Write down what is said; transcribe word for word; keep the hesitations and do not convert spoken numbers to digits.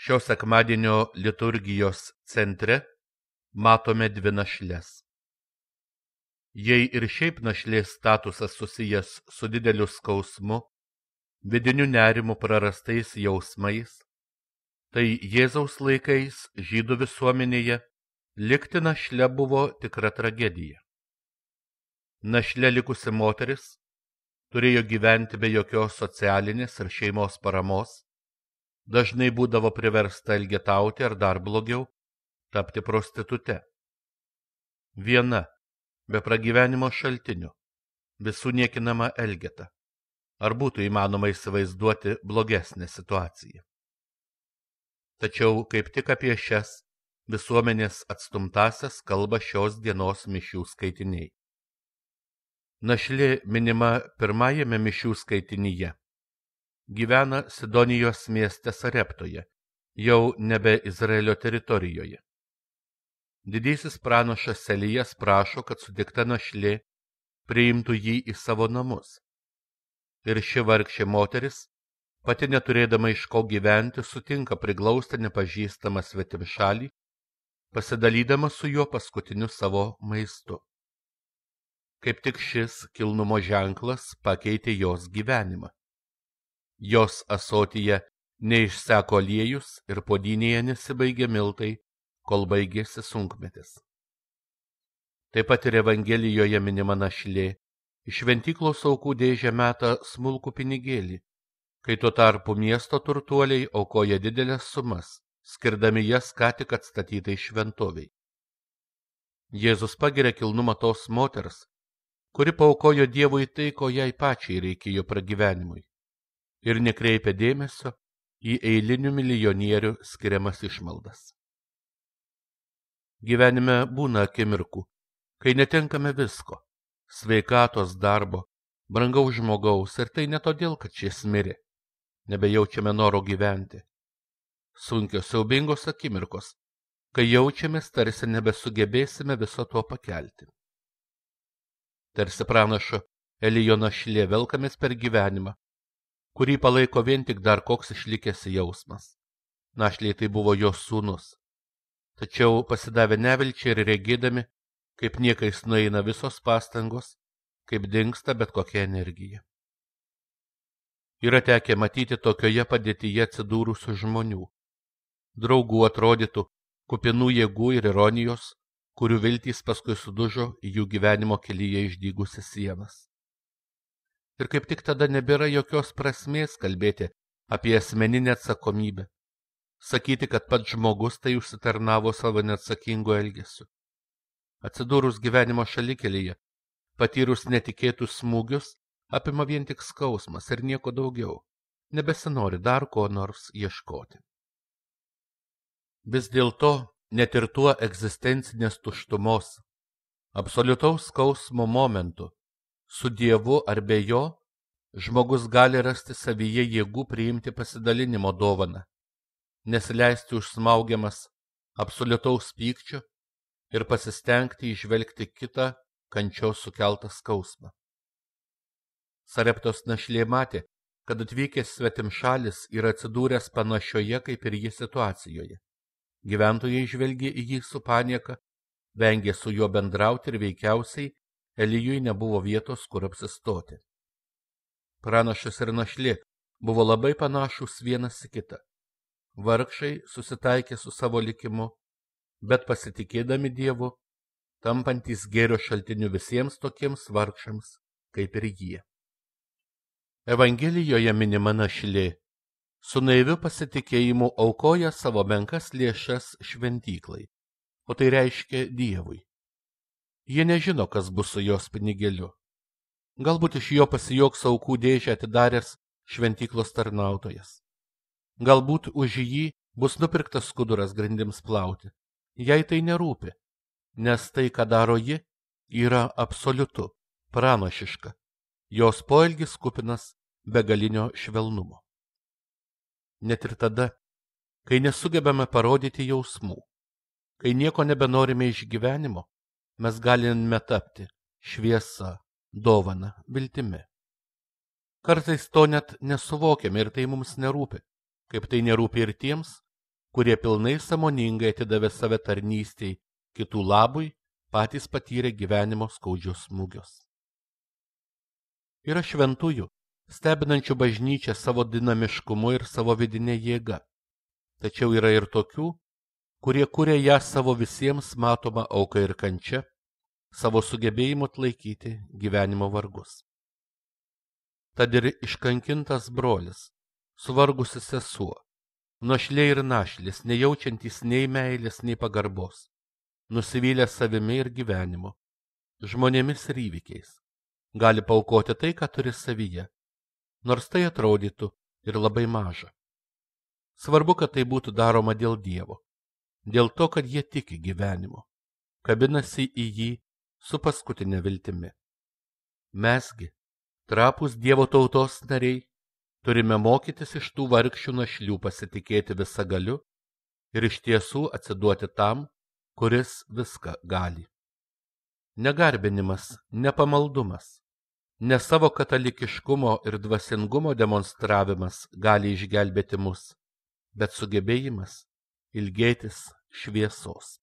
Šio sekmadienio liturgijos centre matome dvi našles. Jei ir šiaip našlės statusas susijęs su dideliu skausmu, vidiniu nerimu, prarastais jausmais, tai Jėzaus laikais žydų visuomenėje likti našle buvo tikra tragedija. Našle likusi moteris turėjo gyventi be jokios socialinės ir šeimos paramos, dažnai būdavo priversta elgetauti ar dar blogiau tapti prostitute. Viena, be pragyvenimo šaltinių, visų niekinama elgeta. Ar būtų įmanoma įsivaizduoti blogesnę situaciją? Tačiau kaip tik apie šias visuomenės atstumtasias kalba šios dienos mišių skaitiniai. Našlė minima pirmajame mišių skaitinyje. Gyvena Sidonijos mieste Sareptoje, jau nebe Izraelio teritorijoje. Didysis pranašas Elijas prašo, kad sutikta našlė priimtų jį į savo namus. Ir ši vargšė moteris, pati neturėdama iš ko gyventi, sutinka priglausti nepažįstamą svetimšalį, pasidalydama su juo paskutiniu savo maistu. Kaip tik šis kilnumo ženklas pakeitė jos gyvenimą. Jos ąsotyje neišseko aliejus ir puodynėje nesibaigė miltai, kol baigėsi sunkmetis. Taip pat ir Evangelijoje minima našlė, iš šventyklos aukų dėžę meta smulkų pinigėlį, kai tuo tarpu miesto turtuoliai aukoja didelės sumas, skirdami jas ką tik atstatytai šventoviai. Jėzus pagiria kilnumą tos moters, kuri paaukojo Dievui tai, ko jai pačiai reikėjo pragyvenimui, ir nekreipia dėmesio į eilinių milijonierių skiriamas išmaldas. Gyvenime būna akimirkų, kai netenkame visko – sveikatos, darbo, brangaus žmogaus, ir tai ne todėl, kad šis mirė. Nebejaučiame noro gyventi. Sunkios, siaubingos akimirkos, kai jaučiamės, tarsi nebesugebėsime viso to pakelti. Tarsi pranašo Elijo našlė velkamės per gyvenimą, kurį palaiko vien tik dar koks išlikęs jausmas. Našlei tai buvo jos sūnus. Tačiau pasidavę nevilčiai ir regėdami, kaip niekais nueina visos pastangos, kaip dingsta bet kokia energija. Yra tekę matyti tokioje padėtyje atsidūrusių žmonių, draugų atrodytų, kupinų jėgų ir ironijos, kurių viltys paskui sudužo į jų gyvenimo kelyje išdygusias sienas. Ir kaip tik tada nebėra jokios prasmės kalbėti apie asmeninę atsakomybę, sakyti, kad pats žmogus tai užsitarnavo savo neatsakingu elgesiu. Atsidūrus gyvenimo šalikelyje, patyrus netikėtus smūgius, apima vien tik skausmas ir nieko daugiau, nebesinori dar ko nors ieškoti. Vis dėlto, net ir tuo egzistencinės tuštumos, absoliutaus skausmo momentu, su Dievu ar be jo, žmogus gali rasti savyje jėgų priimti pasidalinimo dovaną, nesileisti užsmaugiamas absoliutaus pykčio ir pasistengti įžvelgti kitą kančios sukeltą skausmą. Sareptos našlė matė, kad atvykęs svetimšalis yra atsidūręs panašioje kaip ir ji situacijoje. Gyventojai žvelgė į jį su panieka, vengė su juo bendrauti ir veikiausiai Elijui nebuvo vietos, kur apsistoti. Pranašas ir našlė buvo labai panašūs vienas į kitą. Vargšai susitaikė su savo likimu, bet pasitikėdami Dievu, tampantys gėrio šaltiniu visiems tokiems vargšams, kaip ir jie. Evangelijoje minima našlė, su naiviu pasitikėjimu aukoja savo menkas lėšas šventyklai, o tai reiškia Dievui. Jie nežino, kas bus su jos pinigėliu. Galbūt iš jo pasijoks aukų dėžę atidaręs šventyklos tarnautojas. Galbūt už jį bus nupirktas skuduras grindims plauti. Jai tai nerūpi, nes tai, ką daro ji, yra absoliutu, pranašiška. Jos poelgis kupinas begalinio švelnumo. Net ir tada, kai nesugebame parodyti jausmų, kai nieko nebenorime iš gyvenimo, mes galime tapti šviesa, dovana, viltimi. Kartais to net nesuvokiame ir tai mums nerūpi, kaip tai nerūpi ir tiems, kurie pilnai sąmoningai atidavė save tarnystei kitų labui, patys patyrė gyvenimo skaudžius smūgius. Yra šventųjų, stebinančių bažnyčią savo dinamiškumu ir savo vidinė jėga. Tačiau yra ir tokių, kurie kuria ją savo visiems matoma auka ir kančia, savo sugebėjimu atlaikyti gyvenimo vargus. Tad ir iškankintas brolis, suvargusi sesuo, našlė ir našlis, nejaučiantys nei meilės, nei pagarbos, nusivylę savimi ir gyvenimu, žmonėmis ir įvykiais, gali paaukoti tai, ką turi savyje, nors tai atrodytų ir labai maža. Svarbu, kad tai būtų daroma dėl Dievo, dėl to, kad jie tiki gyvenimu, kabinasi į jį su paskutinė viltimi. Mesgi, trapūs Dievo tautos nariai, turime mokytis iš tų vargšių našlių pasitikėti visagaliu ir iš tiesų atsiduoti tam, kuris viską gali. Negarbinimas, nepamaldumas, ne savo katalikiškumo ir dvasingumo demonstravimas gali išgelbėti mus, bet sugebėjimas ilgėtis šviesos.